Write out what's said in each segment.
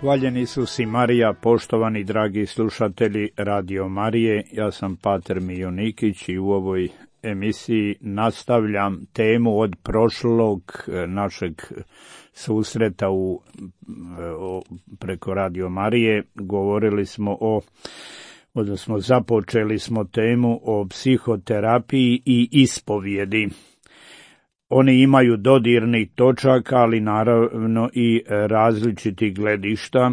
Hvaljen Isus i Marija, poštovani dragi slušatelji Radio Marije, ja sam Pater Mionikić i u ovoj emisiji nastavljam temu od prošlog našeg susreta preko Radio Marije. Govorili smo odnosno započeli smo temu o psihoterapiji i ispovjedi. Oni imaju dodirnih točaka, ali naravno i različitih gledišta,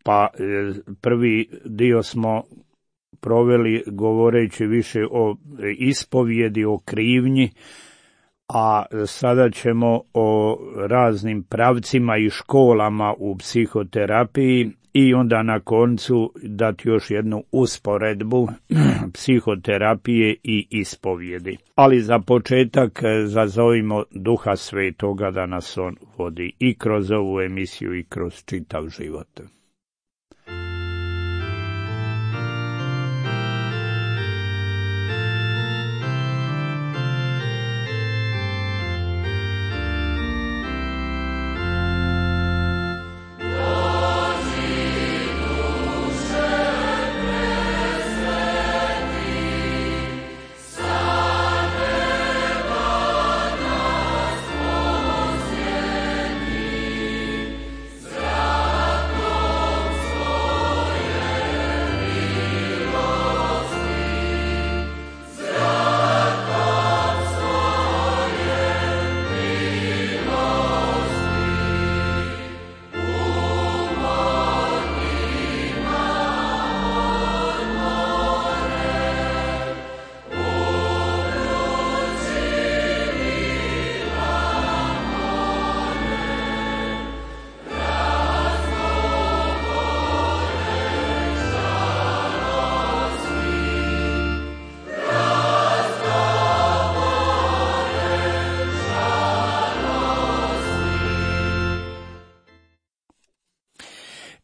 pa prvi dio smo proveli govoreći više o ispovjedi, o krivnji, a sada ćemo o raznim pravcima i školama u psihoterapiji i onda na koncu dati još jednu usporedbu psihoterapije i ispovjedi. Ali za početak zazovimo Duha Svetoga da nas on vodi i kroz ovu emisiju i kroz čitav život.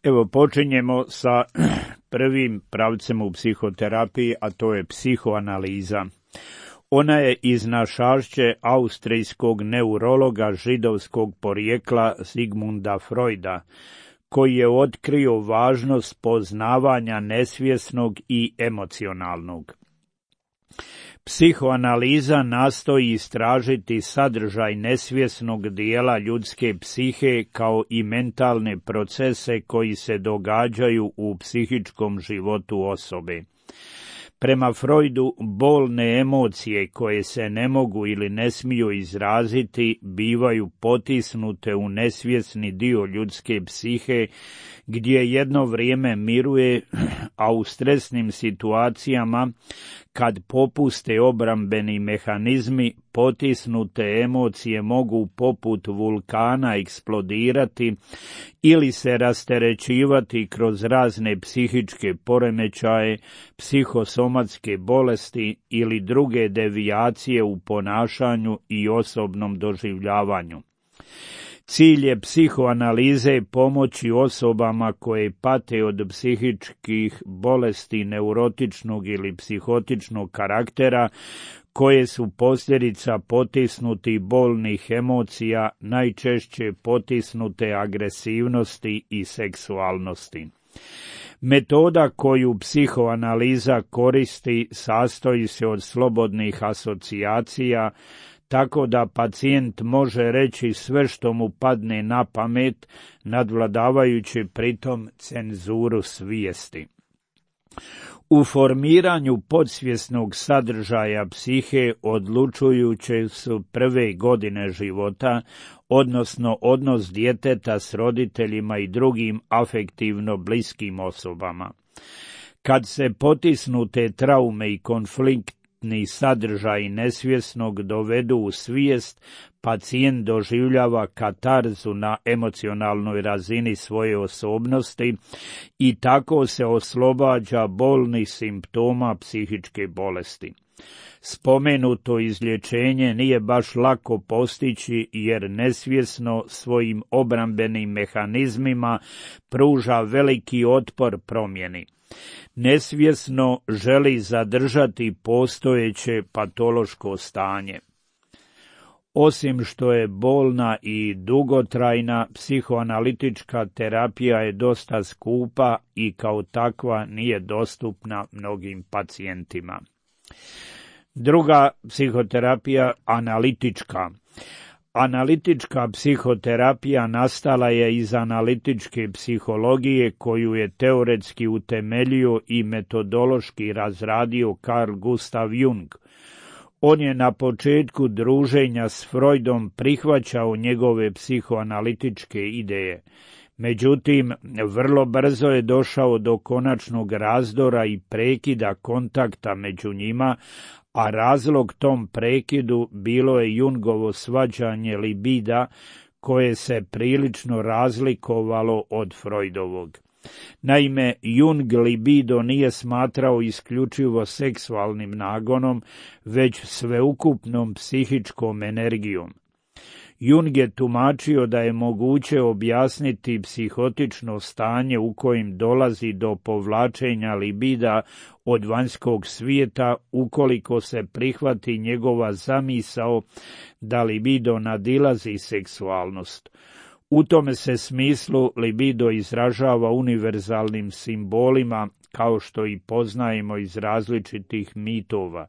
Evo, počinjemo sa prvim pravcem u psihoterapiji, a to je psihoanaliza. Ona je iznašašće austrijskog neurologa židovskog porijekla Sigmunda Freuda, koji je otkrio važnost poznavanja nesvjesnog i emocionalnog. Psihoanaliza nastoji istražiti sadržaj nesvjesnog dijela ljudske psihe kao i mentalne procese koji se događaju u psihičkom životu osobe. Prema Freudu, bolne emocije koje se ne mogu ili ne smiju izraziti bivaju potisnute u nesvjesni dio ljudske psihe, gdje jedno vrijeme miruje, a u stresnim situacijama, kad popuste obrambeni mehanizmi, potisnute emocije mogu poput vulkana eksplodirati ili se rasterećivati kroz razne psihičke poremećaje, psihosomatske bolesti ili druge devijacije u ponašanju i osobnom doživljavanju. Cilj je psihoanalize pomoći osobama koje pate od psihičkih bolesti neurotičnog ili psihotičnog karaktera, koje su posljedica potisnutih bolnih emocija, najčešće potisnute agresivnosti i seksualnosti. Metoda koju psihoanaliza koristi sastoji se od slobodnih asocijacija, tako da pacijent može reći sve što mu padne na pamet, nadvladavajući pritom cenzuru svijesti. U formiranju podsvjesnog sadržaja psihe odlučujuće su prve godine života, odnosno odnos djeteta s roditeljima i drugim afektivno bliskim osobama. Kad se potisnute traume i konfliktni sadržaji nesvjesnog dovedu u svijest, pacijent doživljava katarzu na emocionalnoj razini svoje osobnosti i tako se oslobađa bolnih simptoma psihičke bolesti. Spomenuto izlječenje nije baš lako postići jer nesvjesno svojim obrambenim mehanizmima pruža veliki otpor promjeni. Nesvjesno želi zadržati postojeće patološko stanje. Osim što je bolna i dugotrajna, psihoanalitička terapija je dosta skupa i kao takva nije dostupna mnogim pacijentima. Druga psihoterapija, analitička. Analitička psihoterapija nastala je iz analitičke psihologije koju je teoretski utemeljio i metodološki razradio Carl Gustav Jung. On je na početku druženja s Freudom prihvaćao njegove psihoanalitičke ideje. Međutim, vrlo brzo je došao do konačnog razdora i prekida kontakta među njima, a razlog tom prekidu bilo je Jungovo svađanje libida koje se prilično razlikovalo od Freudovog. Naime, Jung libido nije smatrao isključivo seksualnim nagonom, već sveukupnom psihičkom energijom. Jung je tumačio da je moguće objasniti psihotično stanje u kojem dolazi do povlačenja libida od vanjskog svijeta ukoliko se prihvati njegova zamisao da libido nadilazi seksualnost. U tome se smislu libido izražava univerzalnim simbolima, kao što i poznajemo iz različitih mitova.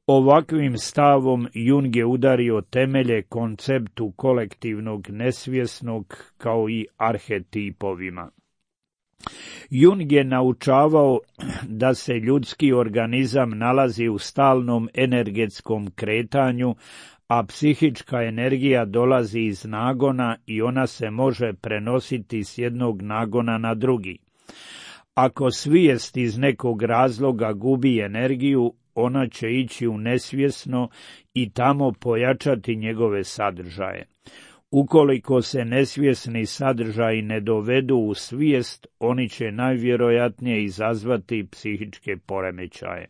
Ovakvim stavom Jung je udario temelje konceptu kolektivnog nesvjesnog kao i arhetipovima. Jung je naučavao da se ljudski organizam nalazi u stalnom energetskom kretanju, a psihička energija dolazi iz nagona i ona se može prenositi s jednog nagona na drugi. Ako svijest iz nekog razloga gubi energiju, ona će ići u nesvjesno i tamo pojačati njegove sadržaje. Ukoliko se nesvjesni sadržaji ne dovedu u svijest, oni će najvjerojatnije izazvati psihičke poremećaje.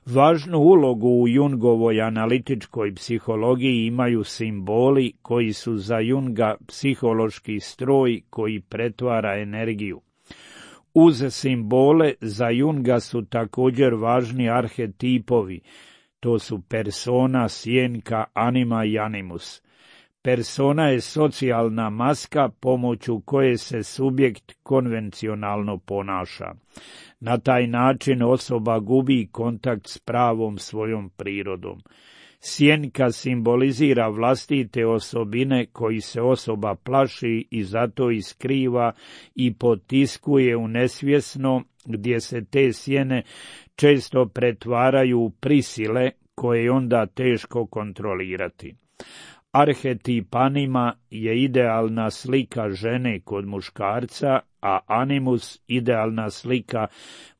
Važnu ulogu u Jungovoj analitičkoj psihologiji imaju simboli koji su za Junga psihološki stroj koji pretvara energiju. Uz simbole za Junga su također važni arhetipovi, to su persona, sjenka, anima i animus. Persona je socijalna maska pomoću koje se subjekt konvencionalno ponaša. Na taj način osoba gubi kontakt s pravom svojom prirodom. Sjenka simbolizira vlastite osobine koji se osoba plaši i zato iskriva i potiskuje u nesvjesno, gdje se te sjene često pretvaraju u prisile koje je onda teško kontrolirati. Arhetip anima je idealna slika žene kod muškarca, a animus idealna slika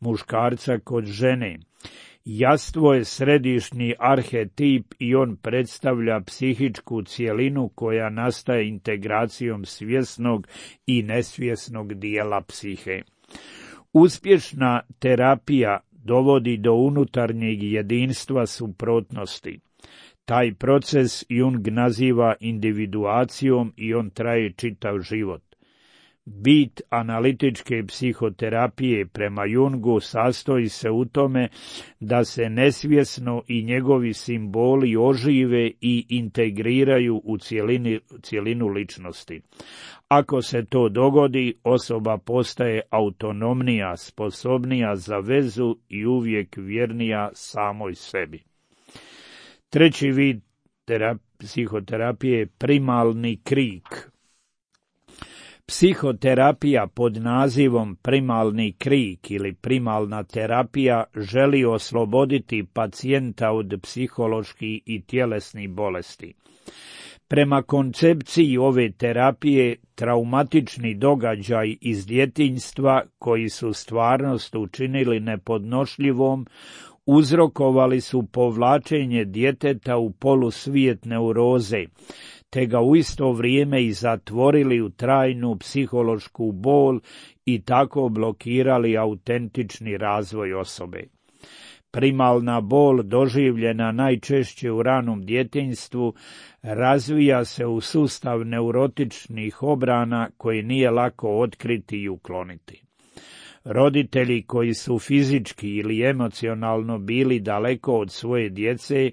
muškarca kod žene. Jastvo je središnji arhetip i on predstavlja psihičku cjelinu koja nastaje integracijom svjesnog i nesvjesnog dijela psihe. Uspješna terapija dovodi do unutarnjeg jedinstva suprotnosti. Taj proces Jung naziva individuacijom i on traje čitav život. Bit analitičke psihoterapije prema Jungu sastoji se u tome da se nesvjesno i njegovi simboli ožive i integriraju u cjelinu ličnosti. Ako se to dogodi, osoba postaje autonomnija, sposobnija za vezu i uvijek vjernija samoj sebi. Treći vid psihoterapije je primalni krik. Psihoterapija pod nazivom primalni krik ili primalna terapija želi osloboditi pacijenta od psiholoških i tjelesnih bolesti. Prema koncepciji ove terapije, traumatični događaj iz djetinjstva koji su stvarnost učinili nepodnošljivom, uzrokovali su povlačenje djeteta u polusvijet neuroze, te ga u isto vrijeme i zatvorili u trajnu psihološku bol i tako blokirali autentični razvoj osobe. Primalna bol, doživljena najčešće u ranom djetinjstvu, razvija se u sustav neurotičnih obrana koje nije lako otkriti i ukloniti. Roditelji koji su fizički ili emocionalno bili daleko od svoje djece,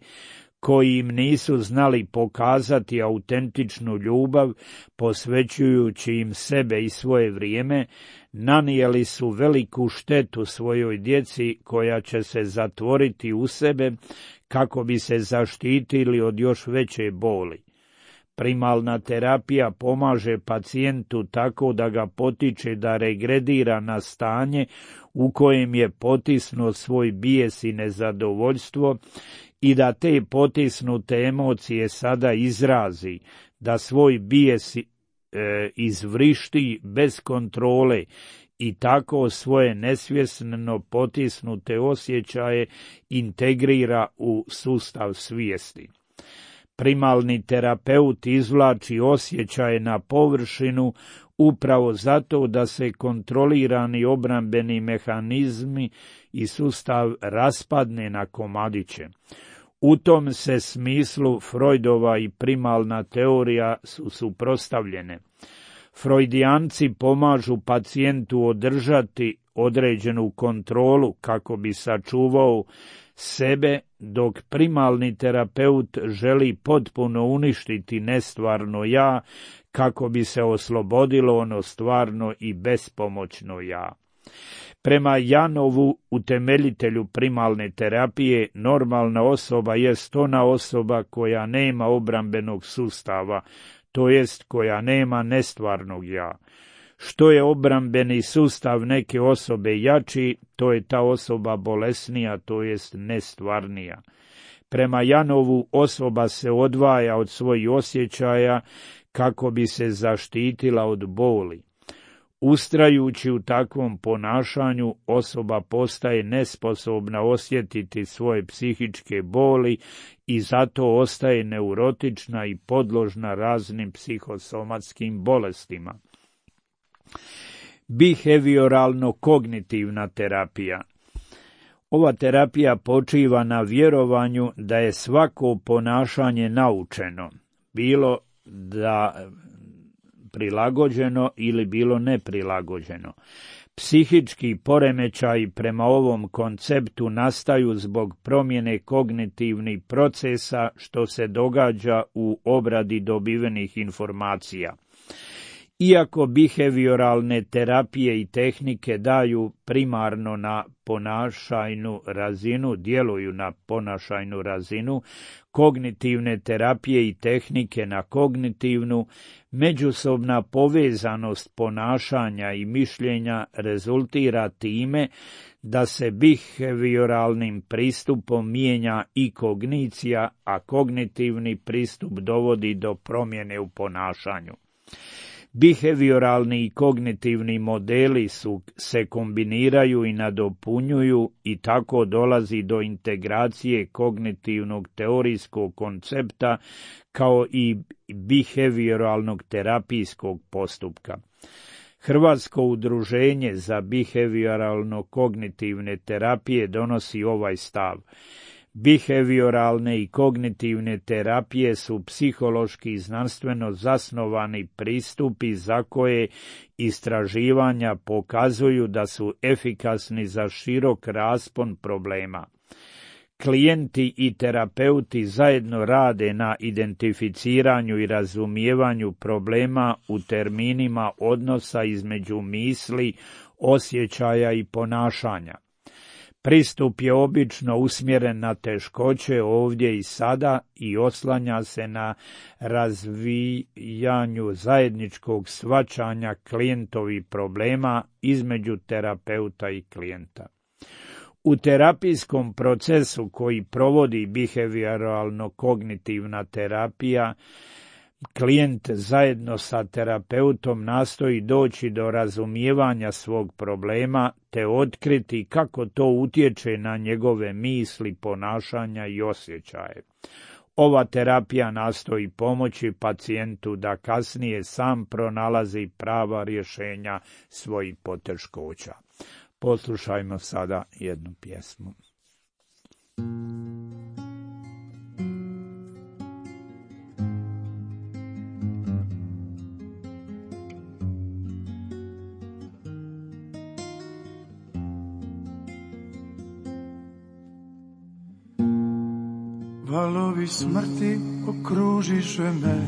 koji im nisu znali pokazati autentičnu ljubav, posvećujući im sebe i svoje vrijeme, nanijeli su veliku štetu svojoj djeci koja će se zatvoriti u sebe kako bi se zaštitili od još veće boli. Primalna terapija pomaže pacijentu tako da ga potiče da regredira na stanje u kojem je potisnuo svoj bijes i nezadovoljstvo i da te potisnute emocije sada izrazi, da svoj bijes izvrišti bez kontrole i tako svoje nesvjesno potisnute osjećaje integrira u sustav svijesti. Primalni terapeut izvlači osjećaje na površinu upravo zato da se kontrolirani obrambeni mehanizmi i sustav raspadne na komadiće. U tom se smislu Freudova i primalna teorija su suprotstavljene. Freudijanci pomažu pacijentu održati određenu kontrolu kako bi sačuvao sebe, dok primalni terapeut želi potpuno uništiti nestvarno ja kako bi se oslobodilo ono stvarno i bespomoćno ja. Prema Janovu, utemeljitelju primalne terapije, normalna osoba jest ona osoba koja nema obrambenog sustava, to jest koja nema nestvarnog ja. Što je obrambeni sustav neke osobe jači, to je ta osoba bolesnija, to jest nestvarnija. Prema Janovu, osoba se odvaja od svojih osjećaja kako bi se zaštitila od boli. Ustrajući u takvom ponašanju, osoba postaje nesposobna osjetiti svoje psihičke boli i zato ostaje neurotična i podložna raznim psihosomatskim bolestima. Behavioralno-kognitivna terapija. Ova terapija počiva na vjerovanju da je svako ponašanje naučeno, bilo da prilagođeno ili bilo neprilagođeno. Psihički poremećaji prema ovom konceptu nastaju zbog promjene kognitivnih procesa što se događa u obradi dobivenih informacija. Iako behavioralne terapije i tehnike daju primarno na ponašajnu razinu, djeluju na ponašajnu razinu, kognitivne terapije i tehnike na kognitivnu, međusobna povezanost ponašanja i mišljenja rezultira time da se behavioralnim pristupom mijenja i kognicija, a kognitivni pristup dovodi do promjene u ponašanju. Behavioralni i kognitivni modeli se kombiniraju i nadopunjuju i tako dolazi do integracije kognitivnog teorijskog koncepta kao i behavioralnog terapijskog postupka. Hrvatsko udruženje za behavioralno-kognitivne terapije donosi ovaj stav. Behavioralne i kognitivne terapije su psihološki i znanstveno zasnovani pristupi za koje istraživanja pokazuju da su efikasni za širok raspon problema. Klijenti i terapeuti zajedno rade na identificiranju i razumijevanju problema u terminima odnosa između misli, osjećaja i ponašanja. Pristup je obično usmjeren na teškoće ovdje i sada i oslanja se na razvijanju zajedničkog shvaćanja klijentovih problema između terapeuta i klijenta. U terapijskom procesu koji provodi behavioralno-kognitivna terapija, klijent zajedno sa terapeutom nastoji doći do razumijevanja svog problema te otkriti kako to utječe na njegove misli, ponašanja i osjećaje. Ova terapija nastoji pomoći pacijentu da kasnije sam pronalazi prava rješenja svojih poteškoća. Poslušajmo sada jednu pjesmu. Valovi smrti okružiše me,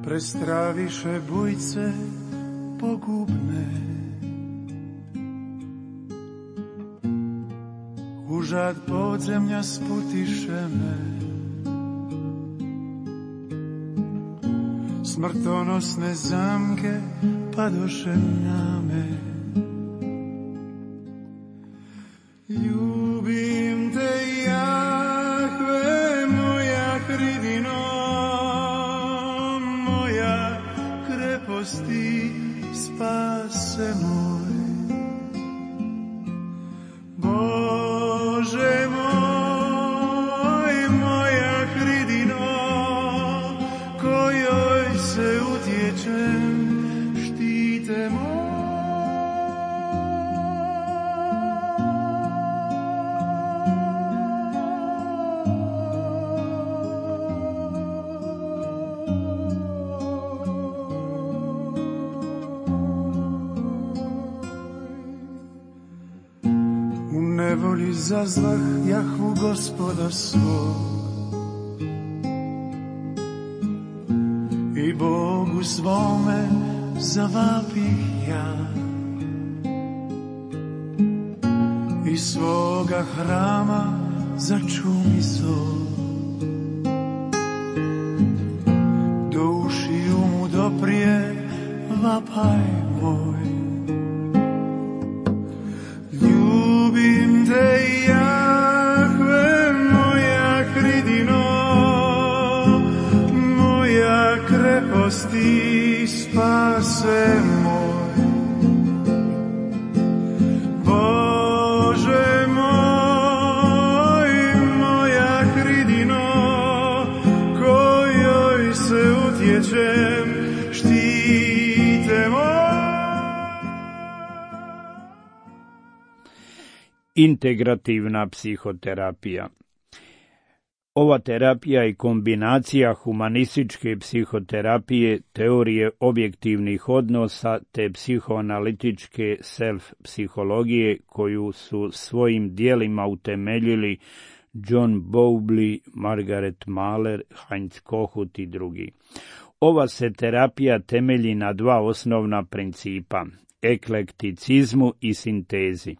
prestraviše bujce pogubne. Užad podzemlja sputiše me, smrtonosne zamke padoše na me. Ljubim te, Jahve, moja hridino, moja kreposti, spase moj. Bože moj, moja hridino, kojoj se utječem, štite moj. Nevoli zazvah Jahvu Gospoda svog i Bogu svome zavapih ja. Iz svoga hrama začumi zov, do ušiju mu doprije vapaj moj. Ljubim te, Jahve, moja hridino, moja kreposti, spase moj. Bože moj, moja hridino, kojoj se utječem, štite moj. Integrativna psihoterapija. Ova terapija je kombinacija humanističke psihoterapije, teorije objektivnih odnosa te psihoanalitičke self-psihologije koju su svojim dijelima utemeljili John Bowlby, Margaret Mahler, Heinz Kohut i drugi. Ova se terapija temelji na dva osnovna principa: eklekticizmu i sintezi.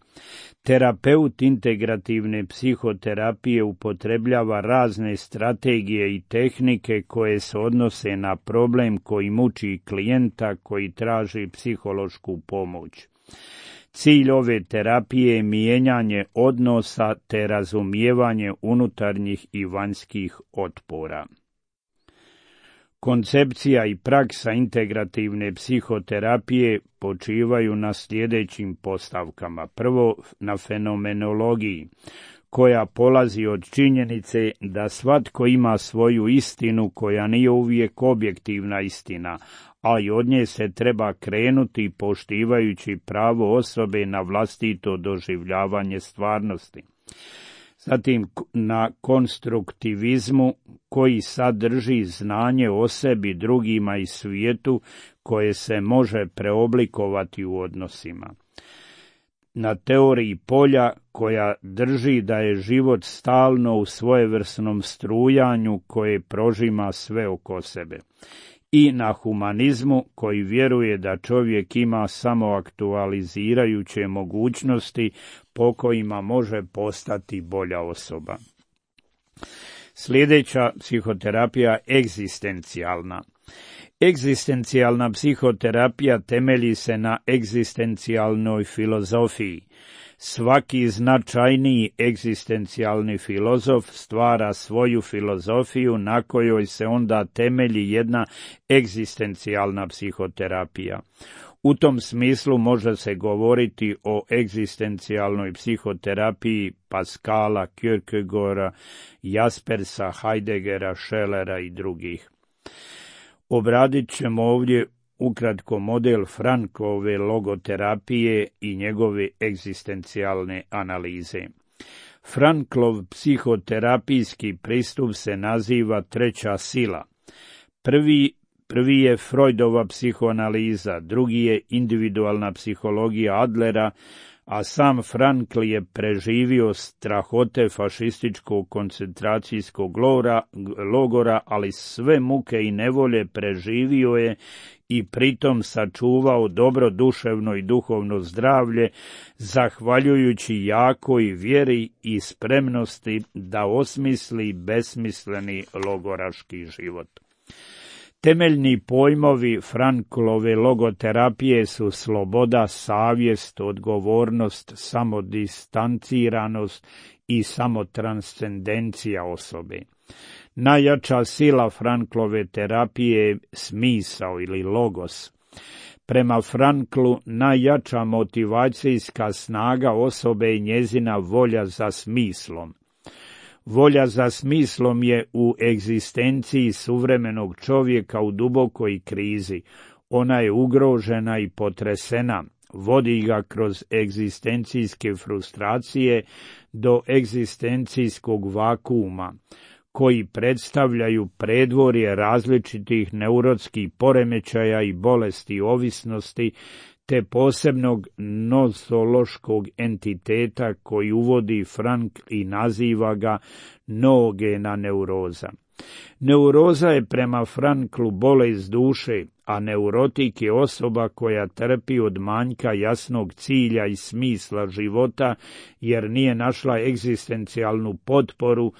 Terapeut integrativne psihoterapije upotrebljava razne strategije i tehnike koje se odnose na problem koji muči klijenta koji traži psihološku pomoć. Cilj ove terapije je mijenjanje odnosa te razumijevanje unutarnjih i vanjskih otpora. Koncepcija i praksa integrativne psihoterapije počivaju na sljedećim postavkama. Prvo, na fenomenologiji, koja polazi od činjenice da svatko ima svoju istinu koja nije uvijek objektivna istina, a i od nje se treba krenuti poštivajući pravo osobe na vlastito doživljavanje stvarnosti. Zatim na konstruktivizmu koji sadrži znanje o sebi, drugima i svijetu koje se može preoblikovati u odnosima. Na teoriji polja koja drži da je život stalno u svojevrsnom strujanju koje prožima sve oko sebe. I na humanizmu koji vjeruje da čovjek ima samo aktualizirajuće mogućnosti po kojima može postati bolja osoba. Sljedeća psihoterapija egzistencijalna. Egzistencijalna psihoterapija temelji se na egzistencijalnoj filozofiji. Svaki značajniji egzistencijalni filozof stvara svoju filozofiju na kojoj se onda temelji jedna egzistencijalna psihoterapija. U tom smislu može se govoriti o egzistencijalnoj psihoterapiji Pascala, Kierkegaarda, Jaspersa, Heideggera, Schellera i drugih. Obradit ćemo ovdje ukratko model Franklove logoterapije i njegove egzistencijalne analize. Franklov psihoterapijski pristup se naziva treća sila. Prvi Prvi je Freudova psihoanaliza, drugi je individualna psihologija Adlera, a sam Frankl je preživio strahote fašističkog koncentracijskog logora, ali sve muke i nevolje preživio je i pritom sačuvao dobro duševno i duhovno zdravlje, zahvaljujući jakoj vjeri i spremnosti da osmisli besmisleni logoraški život. Temeljni pojmovi Franklove logoterapije su sloboda, savjest, odgovornost, samodistanciranost i samotranscendencija osobe. Najjača sila Franklove terapije je smisao ili logos. Prema Franklu najjača motivacijska snaga osobe je njezina volja za smislom. Volja za smislom je u egzistenciji suvremenog čovjeka u dubokoj krizi. Ona je ugrožena i potresena, vodi ga kroz egzistencijske frustracije do egzistencijskog vakuuma, koji predstavljaju predvorje različitih neurotskih poremećaja i bolesti ovisnosti, te posebnog nosološkog entiteta koji uvodi Frankl i naziva ga noogena neuroza. Neuroza je prema Franklu bolest duše, a neurotik je osoba koja trpi od manjka jasnog cilja i smisla života, jer nije našla egzistencijalnu potporu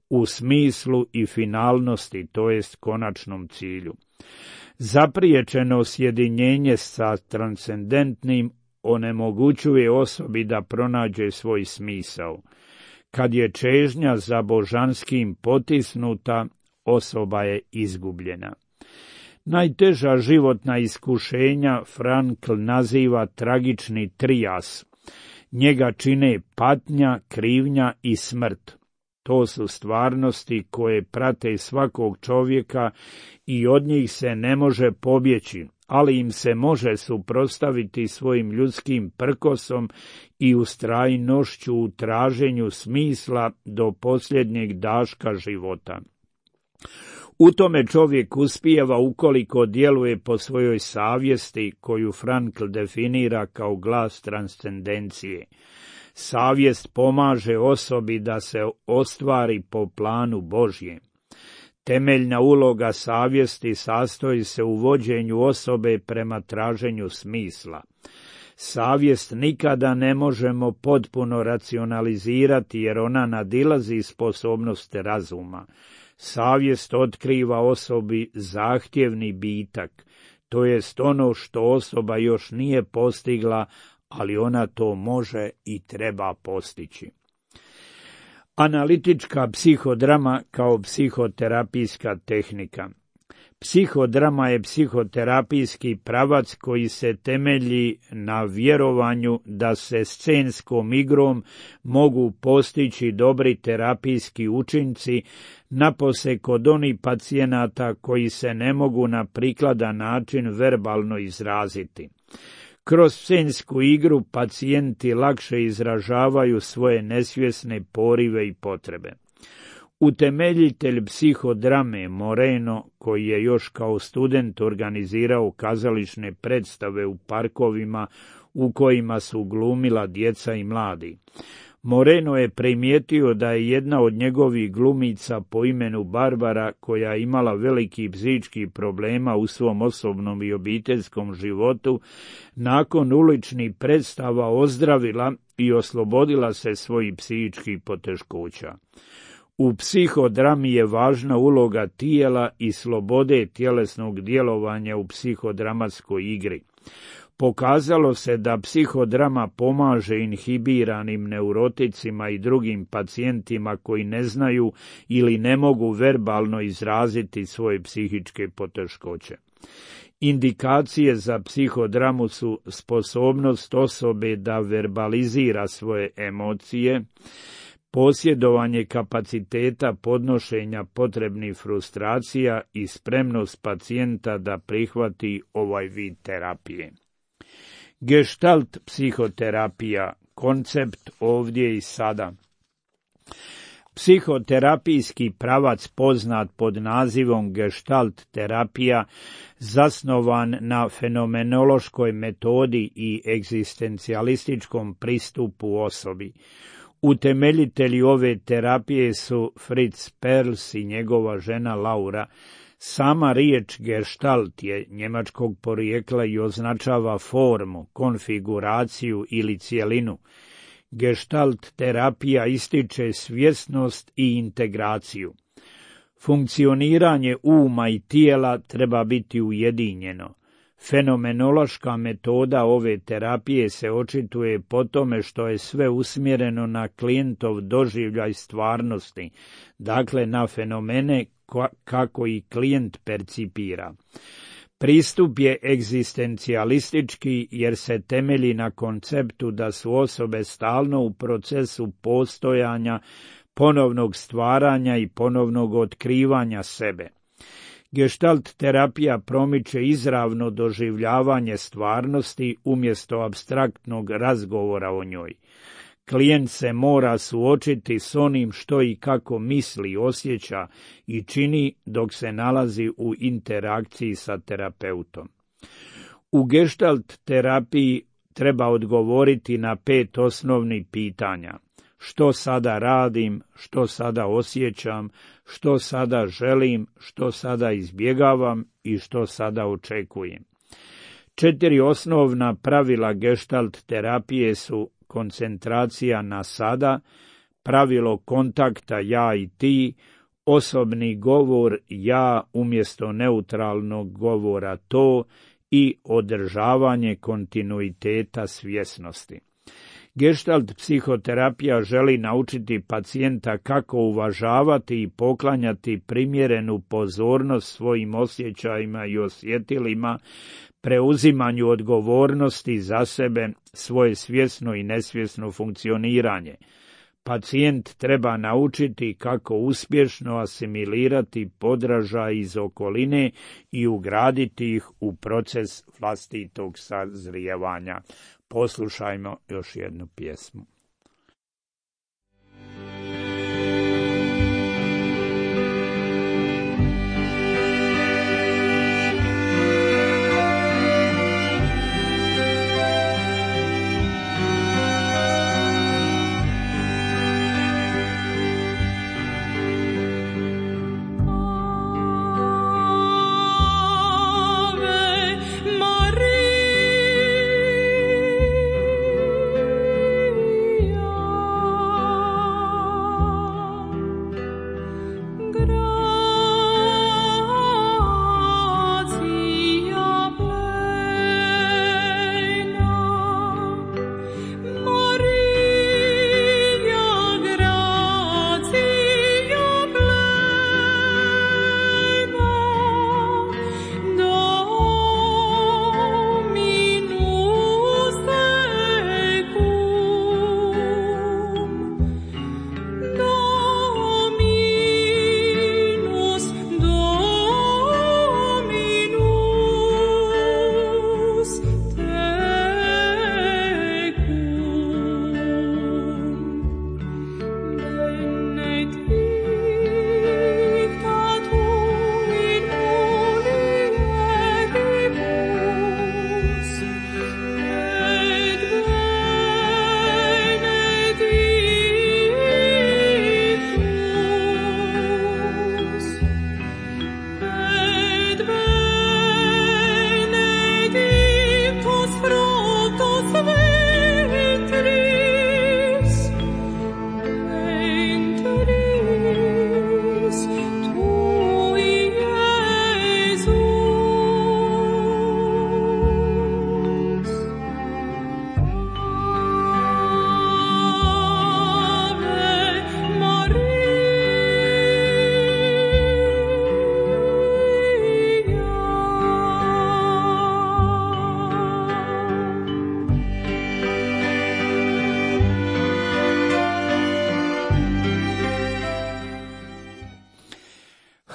u smislu i finalnosti, to jest konačnom cilju. Zapriječeno sjedinjenje sa transcendentnim onemogućuje osobi da pronađe svoj smisao. Kad je čežnja za božanskim potisnuta, osoba je izgubljena. Najteža životna iskušenja Frankl naziva tragični trijas. Njega čine patnja, krivnja i smrt. To su stvarnosti koje prate svakog čovjeka i od njih se ne može pobjeći, ali im se može suprotstaviti svojim ljudskim prkosom i ustrajnošću u traženju smisla do posljednjeg daška života. U tome čovjek uspijeva ukoliko djeluje po svojoj savjesti, koju Frankl definira kao glas transcendencije. Savjest pomaže osobi da se ostvari po planu Božjem. Temeljna uloga savjesti sastoji se u vođenju osobe prema traženju smisla. Savjest nikada ne možemo potpuno racionalizirati jer ona nadilazi sposobnost razuma. Savjest otkriva osobi zahtjevni bitak, to jest ono što osoba još nije postigla, ali ona to može i treba postići. Analitička psihodrama kao psihoterapijska tehnika. Psihodrama je psihoterapijski pravac koji se temelji na vjerovanju da se scenskom igrom mogu postići dobri terapijski učinci, napose kod onih pacijenata koji se ne mogu na prikladan način verbalno izraziti. Kroz scensku igru pacijenti lakše izražavaju svoje nesvjesne porive i potrebe. Utemeljitelj psihodrame Moreno, koji je još kao student organizirao kazališne predstave u parkovima u kojima su glumila djeca i mladi, Moreno je primijetio da je jedna od njegovih glumica po imenu Barbara, koja je imala veliki psihičkih problema u svom osobnom i obiteljskom životu, nakon uličnih predstava ozdravila i oslobodila se svojih psihičkih poteškoća. U psihodrami je važna uloga tijela i slobode tjelesnog djelovanja u psihodramatskoj igri. Pokazalo se da psihodrama pomaže inhibiranim neuroticima i drugim pacijentima koji ne znaju ili ne mogu verbalno izraziti svoje psihičke poteškoće. Indikacije za psihodramu su sposobnost osobe da verbalizira svoje emocije, posjedovanje kapaciteta podnošenja potrebnih frustracija i spremnost pacijenta da prihvati ovaj vid terapije. Gestalt psihoterapija, koncept ovdje i sada. Psihoterapijski pravac poznat pod nazivom gestalt terapija zasnovan na fenomenološkoj metodi i egzistencijalističkom pristupu osobi. Utemeljitelji ove terapije su Fritz Perls i njegova žena Laura. Sama riječ gestalt je njemačkog porijekla i označava formu, konfiguraciju ili cjelinu. Gestalt terapija ističe svjesnost i integraciju. Funkcioniranje uma i tijela treba biti ujedinjeno. Fenomenološka metoda ove terapije se očituje po tome što je sve usmjereno na klijentov doživljaj stvarnosti, dakle na fenomene kako i klijent percipira. Pristup je egzistencijalistički jer se temelji na konceptu da su osobe stalno u procesu postojanja, ponovnog stvaranja i ponovnog otkrivanja sebe. Gestalt terapija promiče izravno doživljavanje stvarnosti umjesto apstraktnog razgovora o njoj. Klijent se mora suočiti s onim što i kako misli, osjeća i čini dok se nalazi u interakciji sa terapeutom. U gestalt terapiji treba odgovoriti na 5 osnovnih pitanja. Što sada radim, što sada osjećam, što sada želim, što sada izbjegavam i što sada očekujem. 4 osnovna pravila gestalt terapije su koncentracija na sada, pravilo kontakta ja i ti, osobni govor ja umjesto neutralnog govora to i održavanje kontinuiteta svjesnosti. Gestalt psihoterapija želi naučiti pacijenta kako uvažavati i poklanjati primjerenu pozornost svojim osjećajima i osjetilima, preuzimanju odgovornosti za sebe, svoje svjesno i nesvjesno funkcioniranje. Pacijent treba naučiti kako uspješno asimilirati podražaj iz okoline i ugraditi ih u proces vlastitog sazrijevanja. Poslušajmo još jednu pjesmu.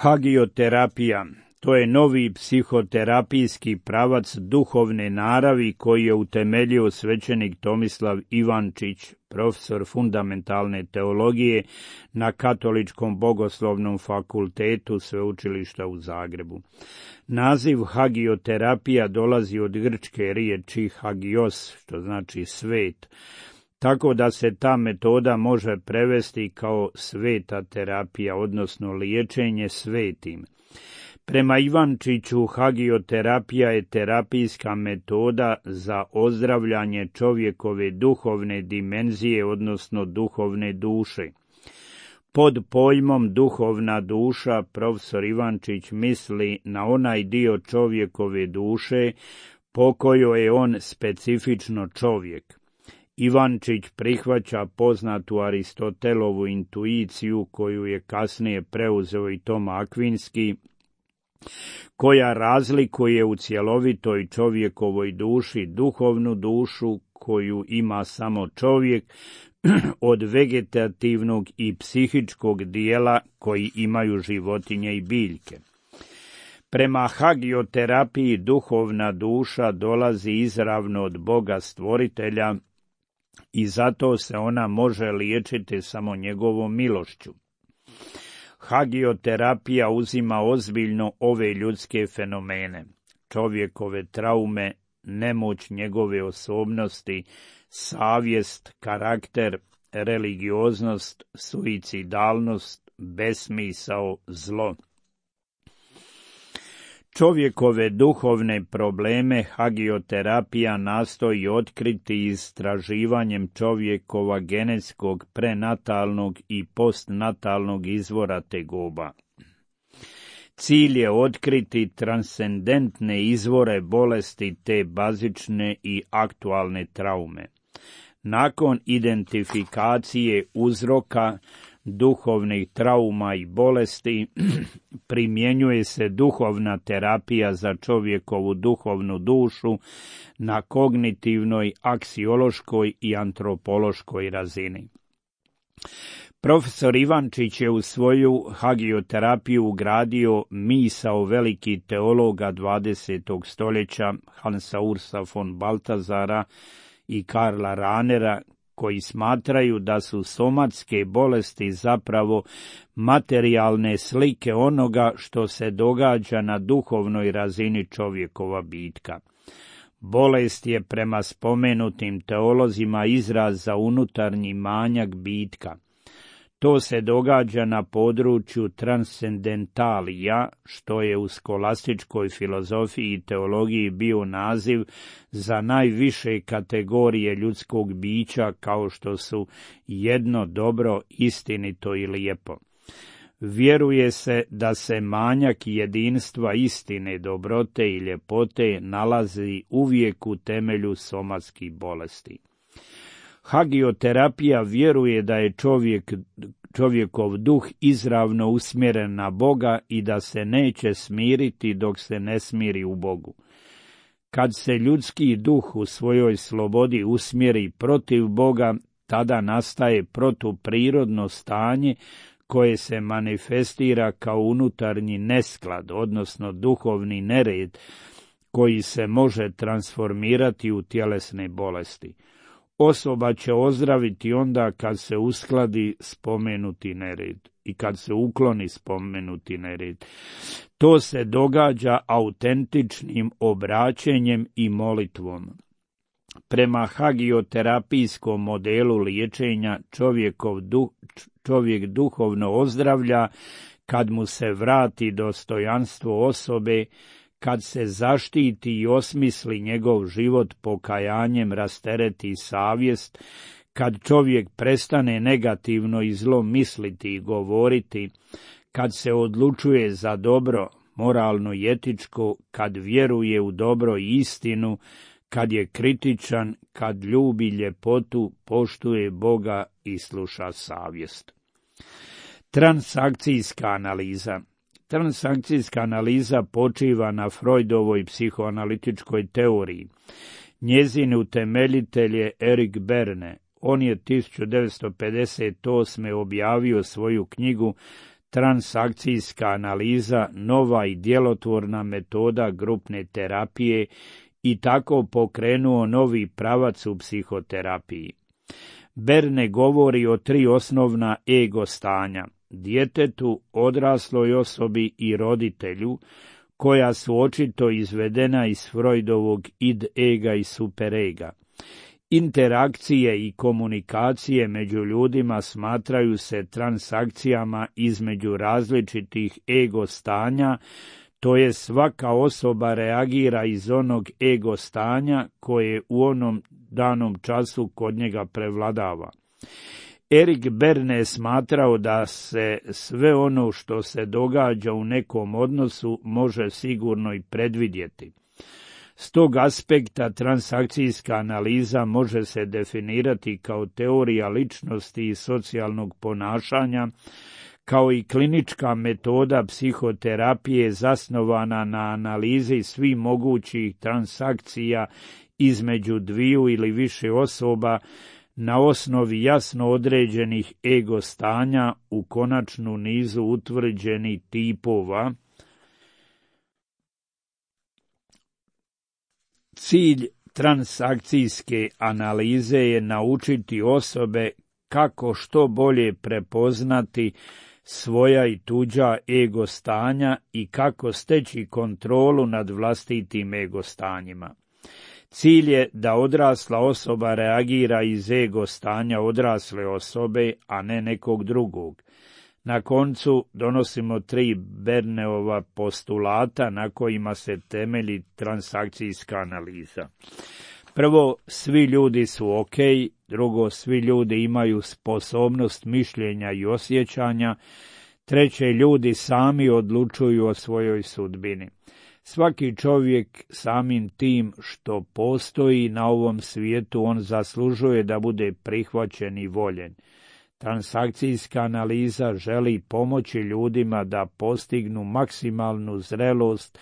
Hagioterapija, To je novi psihoterapijski pravac duhovne naravi koji je utemeljio svećenik Tomislav Ivančić, profesor fundamentalne teologije na Katoličkom bogoslovnom fakultetu Sveučilišta u Zagrebu. Naziv hagioterapija dolazi od grčke riječi hagios, što znači svet, tako da se ta metoda može prevesti kao sveta terapija, odnosno liječenje svetim. Prema Ivančiću, hagioterapija je terapijska metoda za ozdravljanje čovjekove duhovne dimenzije, odnosno duhovne duše. Pod pojmom duhovna duša profesor Ivančić misli na onaj dio čovjekove duše po kojoj je on specifično čovjek. Ivančić prihvaća poznatu Aristotelovu intuiciju, koju je kasnije preuzeo i Toma Akvinski, koja razlikuje u cjelovitoj čovjekovoj duši duhovnu dušu koju ima samo čovjek od vegetativnog i psihičkog dijela koji imaju životinje i biljke. Prema hagioterapiji duhovna duša dolazi izravno od Boga stvoritelja i zato se ona može liječiti samo njegovom milošću. Hagioterapija uzima ozbiljno ove ljudske fenomene, čovjekove traume, nemoć njegove osobnosti, savjest, karakter, religioznost, suicidalnost, besmisao, zlo. Čovjekove duhovne probleme hagioterapija nastoji otkriti istraživanjem čovjekova genetskog, prenatalnog i postnatalnog izvora tegoba. Cilj je otkriti transcendentne izvore bolesti te bazične i aktualne traume. Nakon identifikacije uzroka duhovnih trauma i bolesti, primjenjuje se duhovna terapija za čovjekovu duhovnu dušu na kognitivnoj, aksiološkoj i antropološkoj razini. Profesor Ivančić je u svoju hagioterapiju ugradio misao velikih teologa 20. stoljeća Hansa Ursa von Baltazara i Karla Ranera, koji smatraju da su somatske bolesti zapravo materijalne slike onoga što se događa na duhovnoj razini čovjekova bitka. Bolest je prema spomenutim teolozima izraz za unutarnji manjak bitka. To se događa na području transcendentalija, što je u skolastičkoj filozofiji i teologiji bio naziv za najviše kategorije ljudskog bića, kao što su jedno, dobro, istinito i lijepo. Vjeruje se da se manjak jedinstva istine, dobrote i ljepote nalazi uvijek u temelju somatskih bolesti. Hagioterapija vjeruje da je čovjekov duh izravno usmjeren na Boga i da se neće smiriti dok se ne smiri u Bogu. Kad se ljudski duh u svojoj slobodi usmjeri protiv Boga, tada nastaje protuprirodno stanje koje se manifestira kao unutarnji nesklad, odnosno duhovni nered, koji se može transformirati u tjelesne bolesti. Osoba će ozdraviti onda kad se uskladi spomenuti nered i kad se ukloni spomenuti nered. To se događa autentičnim obraćenjem i molitvom. Prema hagioterapijskom modelu liječenja čovjek duhovno ozdravlja kad mu se vrati dostojanstvo osobe, kad se zaštiti i osmisli njegov život pokajanjem, rastereti savjest, kad čovjek prestane negativno i zlo misliti i govoriti, kad se odlučuje za dobro, moralno i etičko, kad vjeruje u dobro i istinu, kad je kritičan, kad ljubi ljepotu, poštuje Boga i sluša savjest. Transakcijska analiza. Transakcijska analiza počiva na Freudovoj psihoanalitičkoj teoriji. Njezin utemeljitelj je Erik Berne. On je 1958. objavio svoju knjigu transakcijska analiza nova i djelotvorna metoda grupne terapije i tako pokrenuo novi pravac u psihoterapiji. Berne govori o 3 osnovna ego stanja: djetetu, odrasloj osobi i roditelju, koja su očito izvedena iz Freudovog id-ega i superega. Interakcije i komunikacije među ljudima smatraju se transakcijama između različitih ego stanja, to je svaka osoba reagira iz onog ego stanja koje u onom danom času kod njega prevladava. Erik Berne je smatrao da se sve ono što se događa u nekom odnosu može sigurno i predvidjeti. S tog aspekta transakcijska analiza može se definirati kao teorija ličnosti i socijalnog ponašanja, kao i klinička metoda psihoterapije zasnovana na analizi svih mogućih transakcija između dviju ili više osoba na osnovi jasno određenih ego stanja u konačnu nizu utvrđenih tipova. Cilj transakcijske analize je naučiti osobe kako što bolje prepoznati svoja i tuđa ego stanja i kako steći kontrolu nad vlastitim ego stanjima. Cilj je da odrasla osoba reagira iz ego stanja odrasle osobe, a ne nekog drugog. Na koncu donosimo 3 Berneova postulata na kojima se temelji transakcijska analiza. Prvo, svi ljudi su ok. Drugo, svi ljudi imaju sposobnost mišljenja i osjećanja. Treće, ljudi sami odlučuju o svojoj sudbini. Svaki čovjek samim tim što postoji na ovom svijetu, on zaslužuje da bude prihvaćen i voljen. Transakcijska analiza želi pomoći ljudima da postignu maksimalnu zrelost,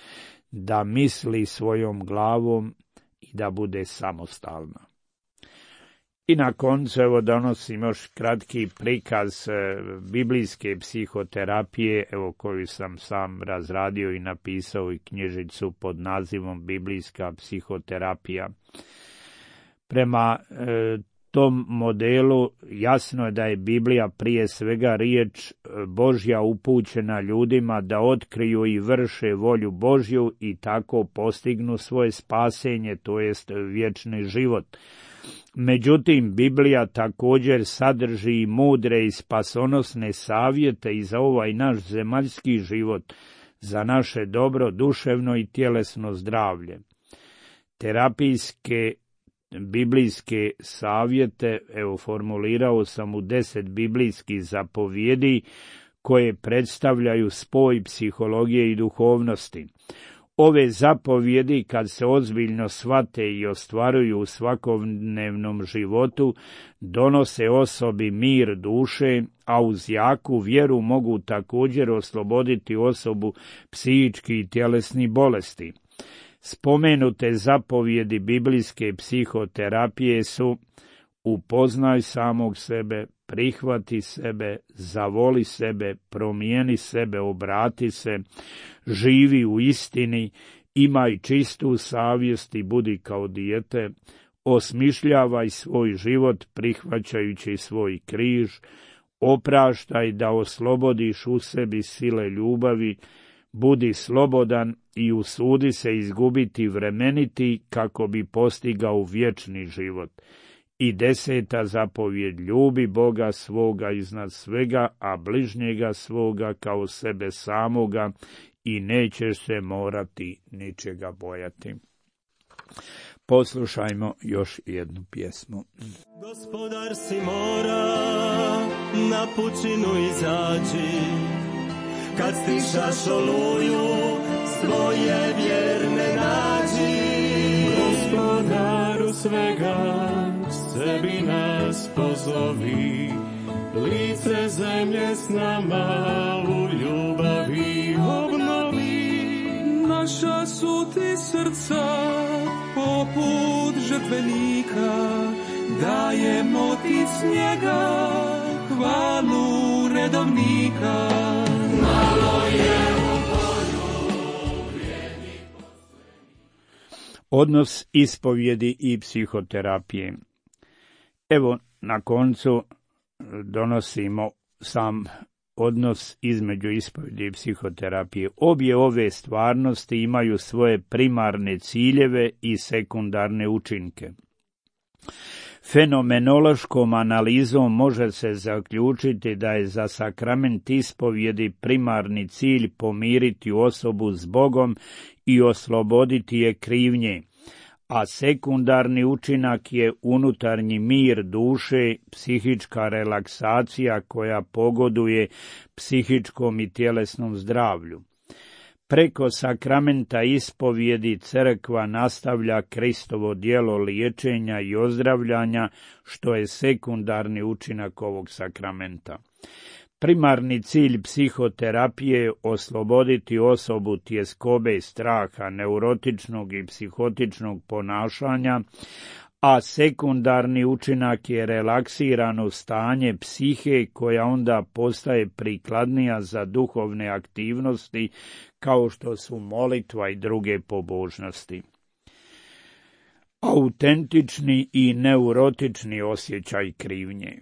da misli svojom glavom i da bude samostalna. I na koncu evo donosim još kratki prikaz biblijske psihoterapije, evo koju sam sam razradio i napisao i knjižicu pod nazivom Biblijska psihoterapija. Prema tom modelu jasno je da je Biblija prije svega riječ Božja upućena ljudima da otkriju i vrše volju Božju i tako postignu svoje spasenje, to jest vječni život. Međutim, Biblija također sadrži i mudre i spasonosne savjete i za ovaj naš zemaljski život, za naše dobro, duševno i tjelesno zdravlje. Terapijske biblijske savjete, evo formulirao sam u 10 biblijskih zapovjedi koje predstavljaju spoj psihologije i duhovnosti. Ove zapovjedi, kad se ozbiljno shvate i ostvaruju u svakodnevnom životu, donose osobi mir duše, a uz jaku vjeru mogu također osloboditi osobu psihičkih i tjelesnih bolesti. Spomenute zapovjedi biblijske psihoterapije su: upoznaj samog sebe, prihvati sebe, zavoli sebe, promijeni sebe, obrati se, živi u istini, imaj čistu savjest i budi kao dijete, osmišljavaj svoj život prihvaćajući svoj križ, opraštaj da oslobodiš u sebi sile ljubavi, budi slobodan i usudi se izgubiti vremeniti kako bi postigao vječni život. I 10. zapovjed: ljubi Boga svoga iznad svega, a bližnjega svoga kao sebe samoga i nećeš se morati ničega bojati. Poslušajmo još jednu pjesmu. Gospodar si mora, na pučinu izaći, kad stišaš oluju, svoje vjerne nađi. Gospodaru svega, sebi nas pozovi, lice zemlje s nama u ljubavi obnovi. Naša su ti srca poput žrtvenika, dajemo ti s njega hvalu redovnika. Malo je u odnos ispovjedi i psihoterapije. Evo, na koncu donosimo sam odnos između ispovjedi i psihoterapije. Obje ove stvarnosti imaju svoje primarne ciljeve i sekundarne učinke. Fenomenološkom analizom može se zaključiti da je za sakrament ispovjedi primarni cilj pomiriti osobu s Bogom i osloboditi je krivnje, a sekundarni učinak je unutarnji mir duše, psihička relaksacija koja pogoduje psihičkom i tjelesnom zdravlju. Preko sakramenta ispovjedi crkva nastavlja Kristovo djelo liječenja i ozdravljanja, što je sekundarni učinak ovog sakramenta. Primarni cilj psihoterapije je osloboditi osobu tjeskobe, straha, neurotičnog i psihotičnog ponašanja, a sekundarni učinak je relaksirano stanje psihe koja onda postaje prikladnija za duhovne aktivnosti kao što su molitva i druge pobožnosti. Autentični i neurotični osjećaj krivnje.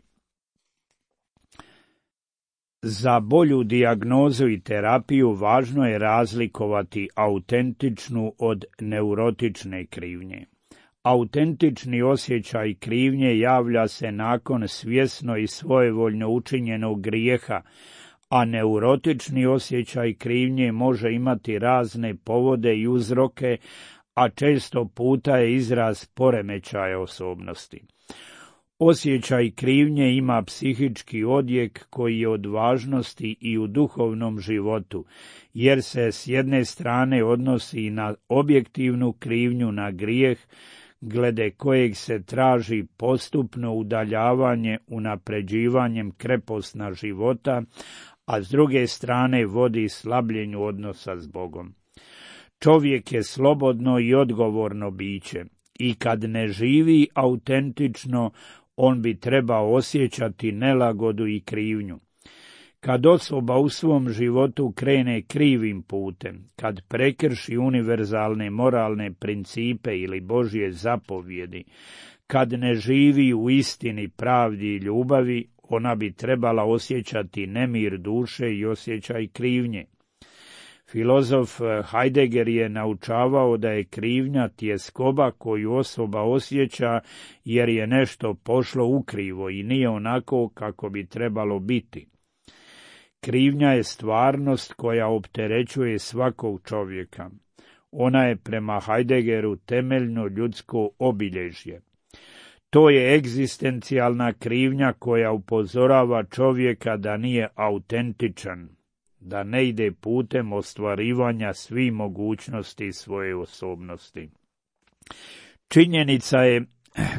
Za bolju dijagnozu i terapiju važno je razlikovati autentičnu od neurotične krivnje. Autentični osjećaj krivnje javlja se nakon svjesno i svojevoljno učinjenog grijeha, a neurotični osjećaj krivnje može imati razne povode i uzroke, a često puta je izraz poremećaja osobnosti. Osjećaj krivnje ima psihički odjek koji je od važnosti i u duhovnom životu, jer se s jedne strane odnosi na objektivnu krivnju na grijeh, glede kojeg se traži postupno udaljavanje unapređivanjem krepostna života, a s druge strane vodi slabljenju odnosa s Bogom. Čovjek je slobodno i odgovorno biće i kad ne živi autentično, on bi trebao osjećati nelagodu i krivnju. Kad osoba u svom životu krene krivim putem, kad prekrši univerzalne moralne principe ili Božje zapovjedi, kad ne živi u istini, pravdi i ljubavi, ona bi trebala osjećati nemir duše i osjećaj krivnje. Filozof Heidegger je naučavao da je krivnja tjeskoba koju osoba osjeća jer je nešto pošlo ukrivo i nije onako kako bi trebalo biti. Krivnja je stvarnost koja opterećuje svakog čovjeka. Ona je prema Heideggeru temeljno ljudsko obilježje. To je egzistencijalna krivnja koja upozorava čovjeka da nije autentičan, da ne ide putem ostvarivanja svih mogućnosti svoje osobnosti. Činjenica je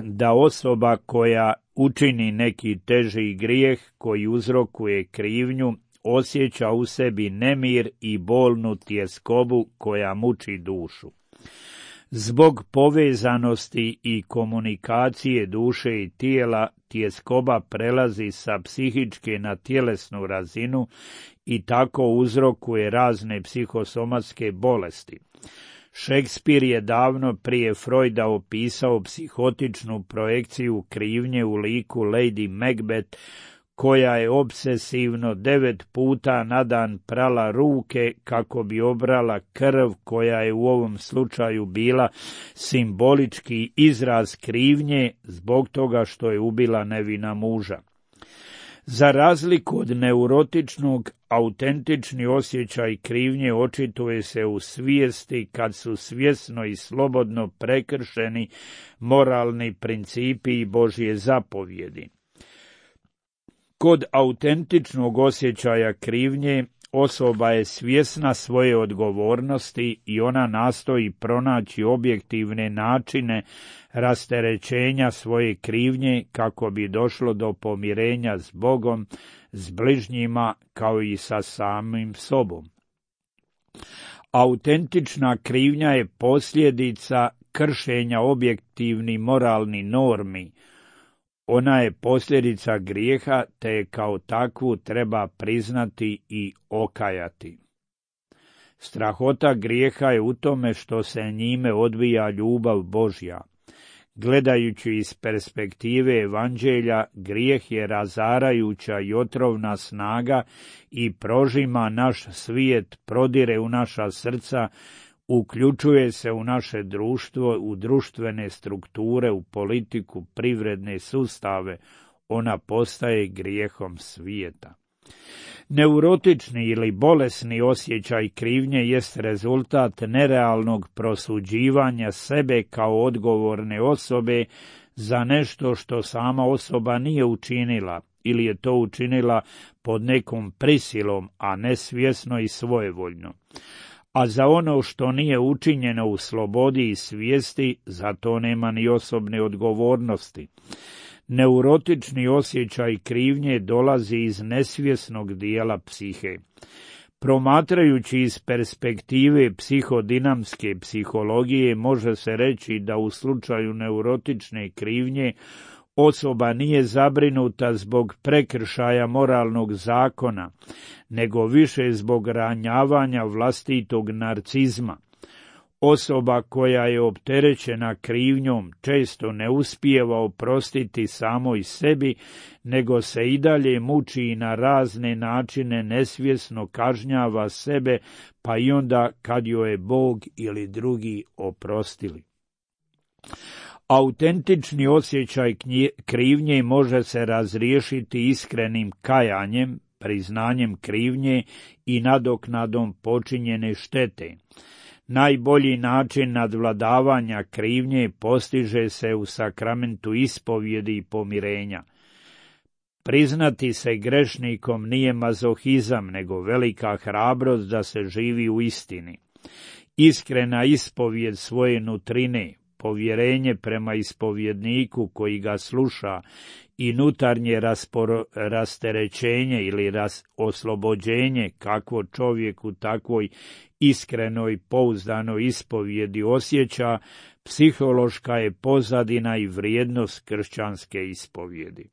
da osoba koja učini neki teži grijeh koji uzrokuje krivnju osjeća u sebi nemir i bolnu tjeskobu koja muči dušu. Zbog povezanosti i komunikacije duše i tijela, tjeskoba prelazi sa psihičke na tjelesnu razinu i tako uzrokuje razne psihosomatske bolesti. Šekspir je davno prije Freuda opisao psihotičnu projekciju krivnje u liku Lady Macbeth, koja je obsesivno 9 puta na dan prala ruke kako bi obrala krv koja je u ovom slučaju bila simbolički izraz krivnje zbog toga što je ubila nevina muža. Za razliku od neurotičnog, autentični osjećaj krivnje očituje se u svijesti kad su svjesno i slobodno prekršeni moralni principi i Božje zapovjedi. Kod autentičnog osjećaja krivnje osoba je svjesna svoje odgovornosti i ona nastoji pronaći objektivne načine rasterećenja svoje krivnje kako bi došlo do pomirenja s Bogom, s bližnjima kao i sa samim sobom. Autentična krivnja je posljedica kršenja objektivnih moralnih normi, Ona je posljedica grijeha, te je kao takvu treba priznati i okajati. Strahota grijeha je u tome što se njime odvija ljubav Božja. Gledajući iz perspektive evanđelja, grijeh je razarajuća i otrovna snaga i prožima naš svijet, prodire u naša srca, uključuje se u naše društvo, u društvene strukture, u politiku, privredne sustave. Ona postaje grijehom svijeta. Neurotični ili bolesni osjećaj krivnje jest rezultat nerealnog prosuđivanja sebe kao odgovorne osobe za nešto što sama osoba nije učinila ili je to učinila pod nekom prisilom, a ne svjesno i svojevoljno. A za ono što nije učinjeno u slobodi i svijesti, za to nema ni osobne odgovornosti. Neurotični osjećaj krivnje dolazi iz nesvjesnog dijela psihe. Promatrajući iz perspektive psihodinamske psihologije, može se reći da u slučaju neurotične krivnje osoba nije zabrinuta zbog prekršaja moralnog zakona, nego više zbog ranjavanja vlastitog narcizma. Osoba koja je opterećena krivnjom često ne uspijeva oprostiti samoj sebi, nego se i dalje muči i na razne načine nesvjesno kažnjava sebe, pa i onda kad joj je Bog ili drugi oprostili. Autentični osjećaj krivnje može se razriješiti iskrenim kajanjem, priznanjem krivnje i nadoknadom počinjene štete. Najbolji način nadvladavanja krivnje postiže se u sakramentu ispovjedi i pomirenja. Priznati se grešnikom nije mazohizam, nego velika hrabrost da se živi u istini. Iskrena ispovjed svoje nutrine, povjerenje prema ispovjedniku koji ga sluša i unutarnje rasterećenje ili oslobođenje kakvo čovjek u takvoj iskrenoj, pouzdanoj ispovjedi osjeća, psihološka je pozadina i vrijednost kršćanske ispovjedi.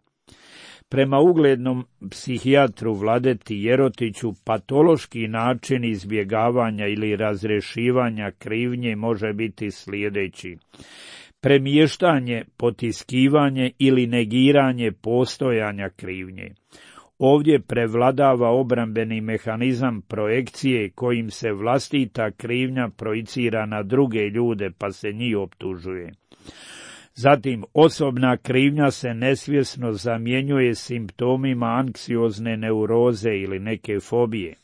Prema uglednom psihijatru Vladeti Jerotiću, patološki način izbjegavanja ili razrješivanja krivnje može biti sljedeći: premještanje, potiskivanje ili negiranje postojanja krivnje. Ovdje prevladava obrambeni mehanizam projekcije kojim se vlastita krivnja projicira na druge ljude pa se njih optužuje. Zatim, osobna krivnja se nesvjesno zamjenjuje simptomima anksiozne neuroze ili neke fobije.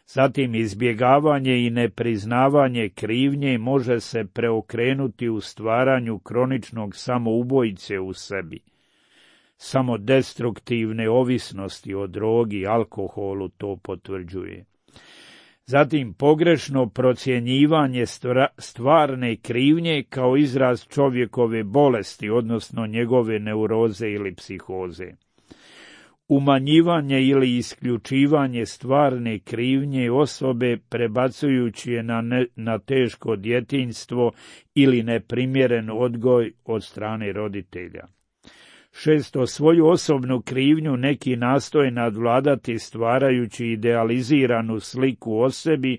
Zatim, izbjegavanje i nepriznavanje krivnje može se preokrenuti u stvaranju kroničnog samoubojice u sebi. Samodestruktivne ovisnosti o drogi i alkoholu to potvrđuje. Zatim, pogrešno procjenjivanje stvarne krivnje kao izraz čovjekove bolesti, odnosno njegove neuroze ili psihoze. Umanjivanje ili isključivanje stvarne krivnje osobe prebacujući je na teško djetinjstvo ili neprimjeren odgoj od strane roditelja. 6. Svoju osobnu krivnju neki nastoje nadvladati stvarajući idealiziranu sliku o sebi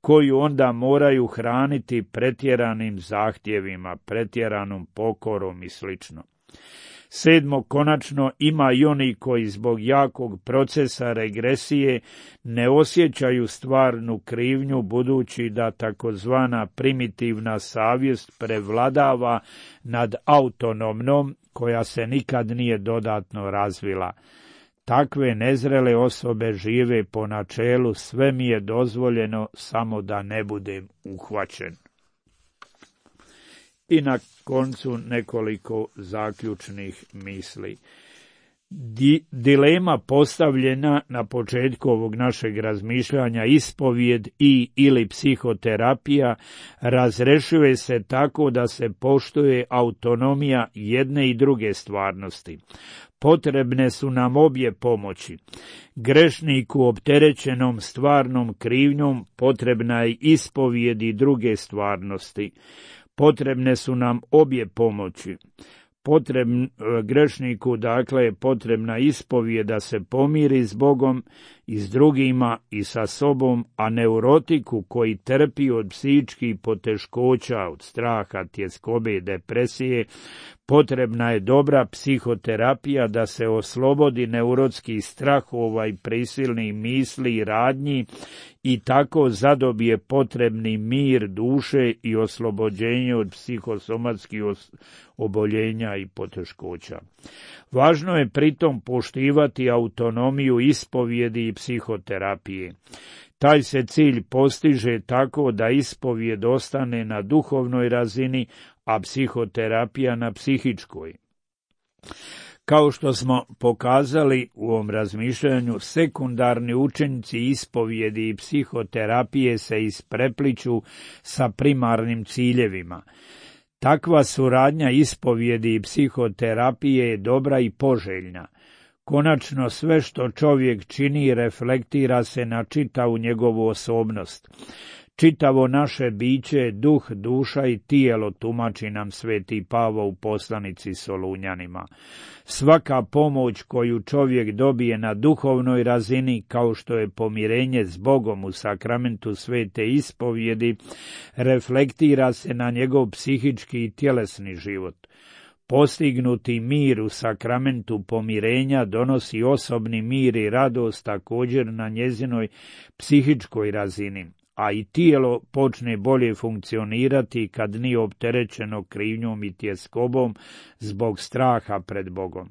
koju onda moraju hraniti pretjeranim zahtjevima, pretjeranom pokorom i sl. 7. Konačno, ima i oni koji zbog jakog procesa regresije ne osjećaju stvarnu krivnju, budući da takozvana primitivna savjest prevladava nad autonomnom, koja se nikad nije dodatno razvila. Takve nezrele osobe žive po načelu sve mi je dozvoljeno, samo da ne budem uhvaćen. I na koncu nekoliko zaključnih misli. Dilema postavljena na početku ovog našeg razmišljanja, ispovijed ili psihoterapija, razrešuje se tako da se poštuje autonomija jedne i druge stvarnosti. Potrebne su nam obje pomoći. Grešniku opterećenom stvarnom krivnjom potrebna je ispovijed i druge stvarnosti. Potrebne su nam obje pomoći. Grešniku, dakle, je potrebna ispovijed da se pomiri s Bogom i s drugima i sa sobom, a neurotiku koji trpi od psihičkih poteškoća, od straha, tjeskobe i depresije, potrebna je dobra psihoterapija da se oslobodi neurotskih strahova i prisilnih misli i radnji i tako zadobije potrebni mir duše i oslobođenje od psihosomatskih oboljenja i poteškoća. Važno je pritom poštivati autonomiju ispovjedi i psihoterapije. Taj se cilj postiže tako da ispovjed ostane na duhovnoj razini, a psihoterapija na psihičkoj. Kao što smo pokazali u ovom razmišljanju, sekundarni učenici ispovjedi i psihoterapije se isprepliću sa primarnim ciljevima. Takva suradnja ispovjedi i psihoterapije je dobra i poželjna. Konačno, sve što čovjek čini reflektira se na čitavu njegovu osobnost. Čitavo naše biće je duh, duša i tijelo, tumači nam sveti Pavao u poslanici Solunjanima. Svaka pomoć koju čovjek dobije na duhovnoj razini, kao što je pomirenje s Bogom u sakramentu svete ispovjedi, reflektira se na njegov psihički i tjelesni život. Postignuti mir u sakramentu pomirenja donosi osobni mir i radost također na njezinoj psihičkoj razini, a i tijelo počne bolje funkcionirati kad nije opterećeno krivnjom i tjeskobom zbog straha pred Bogom.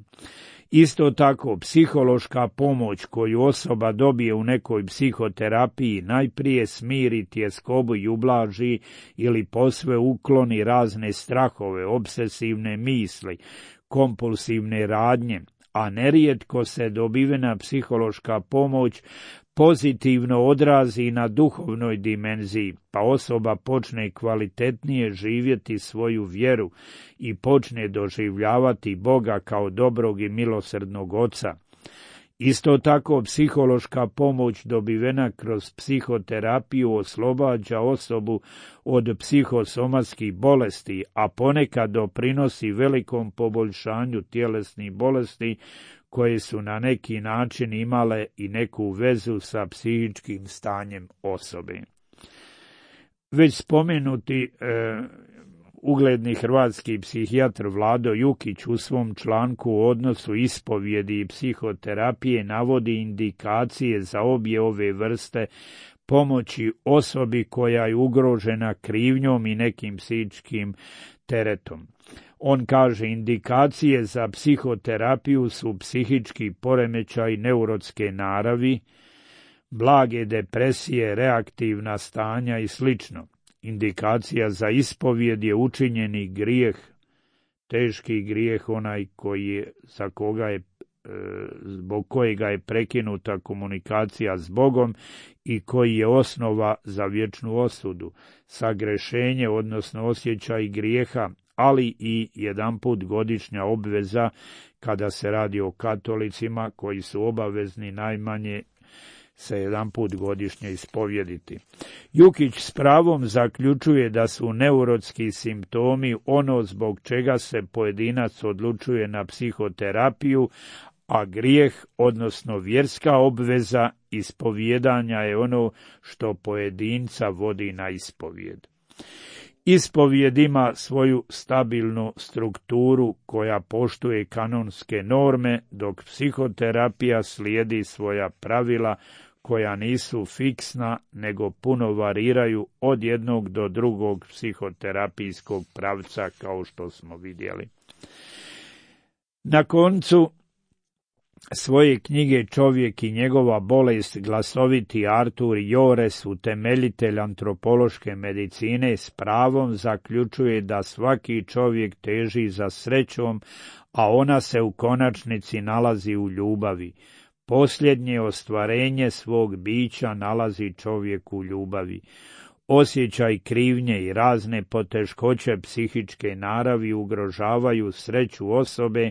Isto tako, psihološka pomoć koju osoba dobije u nekoj psihoterapiji najprije smiri tjeskobu i ublaži ili posve ukloni razne strahove, obsesivne misli, kompulsivne radnje, a nerijetko se dobivena psihološka pomoć pozitivno odrazi na duhovnoj dimenziji, pa osoba počne kvalitetnije živjeti svoju vjeru i počne doživljavati Boga kao dobrog i milosrdnog Oca. Isto tako, psihološka pomoć dobivena kroz psihoterapiju oslobađa osobu od psihosomatskih bolesti, a ponekad doprinosi velikom poboljšanju tjelesnih bolesti koje su na neki način imale i neku vezu sa psihičkim stanjem osobe. Već spomenuti ugledni hrvatski psihijatar Vlado Jukić u svom članku o odnosu ispovjedi i psihoterapije navodi indikacije za obje ove vrste pomoći osobi koja je ugrožena krivnjom i nekim psihičkim teretom. On kaže, indikacije za psihoterapiju su psihički poremećaj neurotske naravi, blage depresije, reaktivna stanja i sl. Indikacija za ispovjed je učinjeni grijeh, teški grijeh, onaj zbog kojega je prekinuta komunikacija s Bogom i koji je osnova za vječnu osudu, sagrešenje, odnosno osjećaj grijeha, ali i jedanput godišnja obveza kada se radi o katolicima koji su obavezni najmanje se jedanput godišnje ispovjediti. Jukić s pravom zaključuje da su neurotski simptomi ono zbog čega se pojedinac odlučuje na psihoterapiju, a grijeh, odnosno vjerska obveza ispovjedanja je ono što pojedinca vodi na ispovjed. Ispovjed ima svoju stabilnu strukturu koja poštuje kanonske norme, dok psihoterapija slijedi svoja pravila koja nisu fiksna, nego puno variraju od jednog do drugog psihoterapijskog pravca, kao što smo vidjeli. Na koncu svoje knjige Čovjek i njegova bolest glasoviti Artur Jores, utemeljitelj antropološke medicine, s pravom zaključuje da svaki čovjek teži za srećom, a ona se u konačnici nalazi u ljubavi. Posljednje ostvarenje svog bića nalazi čovjek u ljubavi. Osjećaj krivnje i razne poteškoće psihičke naravi ugrožavaju sreću osobe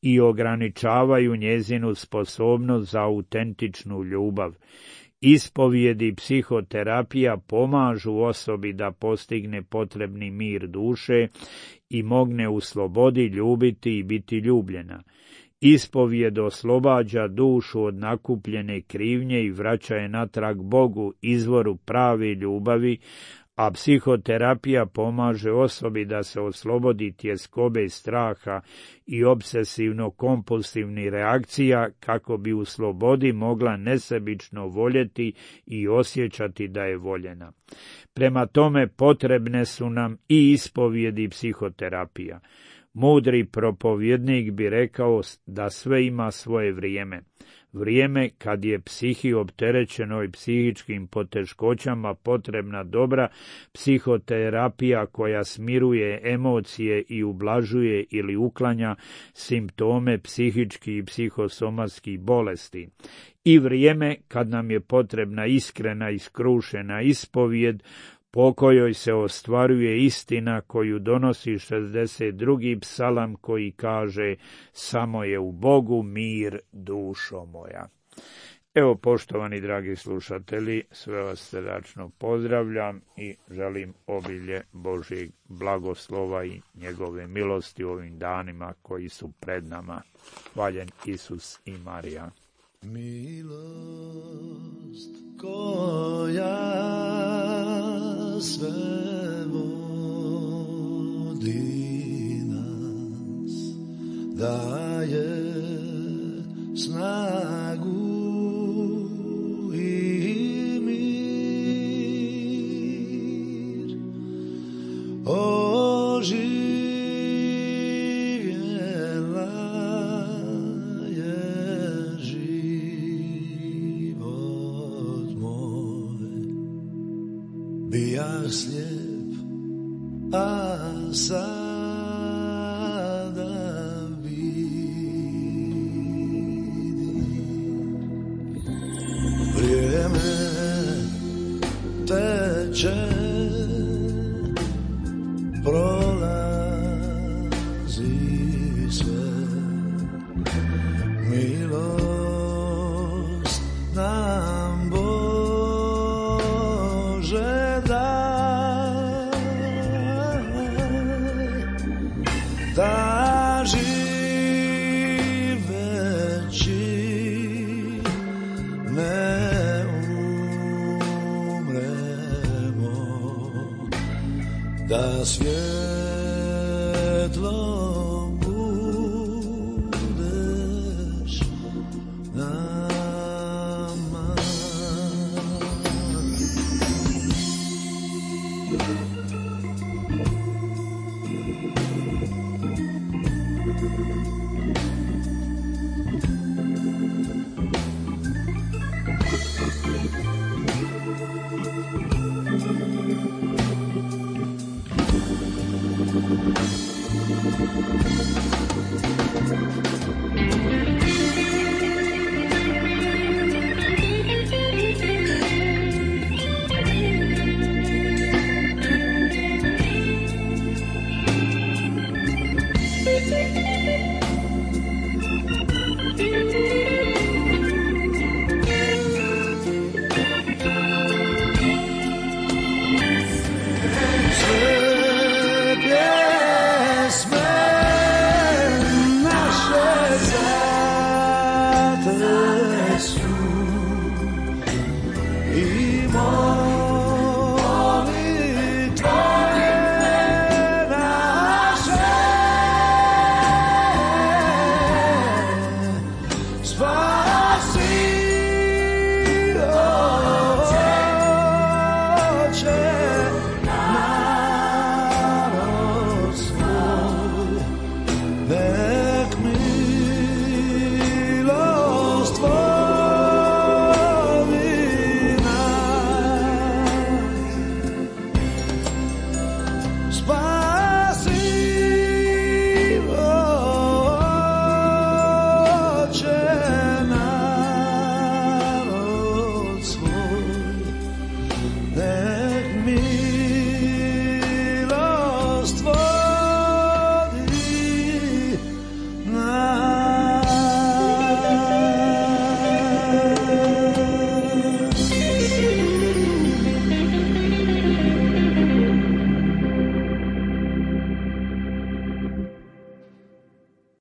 i ograničavaju njezinu sposobnost za autentičnu ljubav. Ispovijedi i psihoterapija pomažu osobi da postigne potrebni mir duše i mogne u slobodi ljubiti i biti ljubljena. Ispovijed oslobađa dušu od nakupljene krivnje i vraća je natrag Bogu, izvoru prave ljubavi, a psihoterapija pomaže osobi da se oslobodi tjeskobe straha i obsesivno-kompulsivnih reakcija kako bi u slobodi mogla nesebično voljeti i osjećati da je voljena. Prema tome potrebne su nam i ispovijedi i psihoterapija. Mudri propovjednik bi rekao da sve ima svoje vrijeme. Vrijeme kad je psihi opterećenoj psihičkim poteškoćama potrebna dobra psihoterapija koja smiruje emocije i ublažuje ili uklanja simptome psihičkih i psihosomatskih bolesti. I vrijeme kad nam je potrebna iskrena i skrušena ispovijed po kojoj se ostvaruje istina koju donosi 62. psalam koji kaže: samo je u Bogu mir, dušo moja. Evo, poštovani dragi slušatelji, sve vas srdačno pozdravljam i želim obilje Božjeg blagoslova i njegove milosti u ovim danima koji su pred nama. Hvaljen Isus i Marija. Milost koja sve vodi nas, daje snagu i mir. Bija slijep, a sada vidim. Vrijeme teče, prolazi sve. Milost nam Bože daj, da živeći ne umremo, da svjetlo budeš nama.